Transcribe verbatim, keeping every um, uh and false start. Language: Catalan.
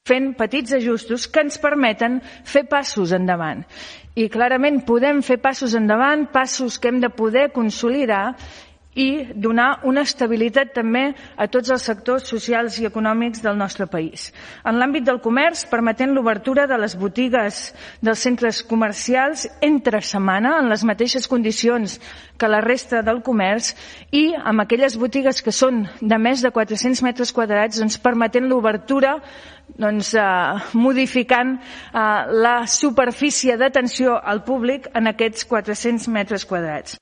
fent petits ajustos que ens permeten fer passos endavant. I clarament podem fer passos endavant, passos que hem de poder consolidar i donar una estabilitat també a tots els sectors socials i econòmics del nostre país. En l'àmbit del comerç, permetent l'obertura de les botigues dels centres comercials entre setmana, en les mateixes condicions que la resta del comerç, i amb aquelles botigues que són de més de quatre-cents metres quadrats, doncs, permetent l'obertura, doncs, eh, modificant eh, la superfície d'atenció al públic en aquests quatre-cents metres quadrats.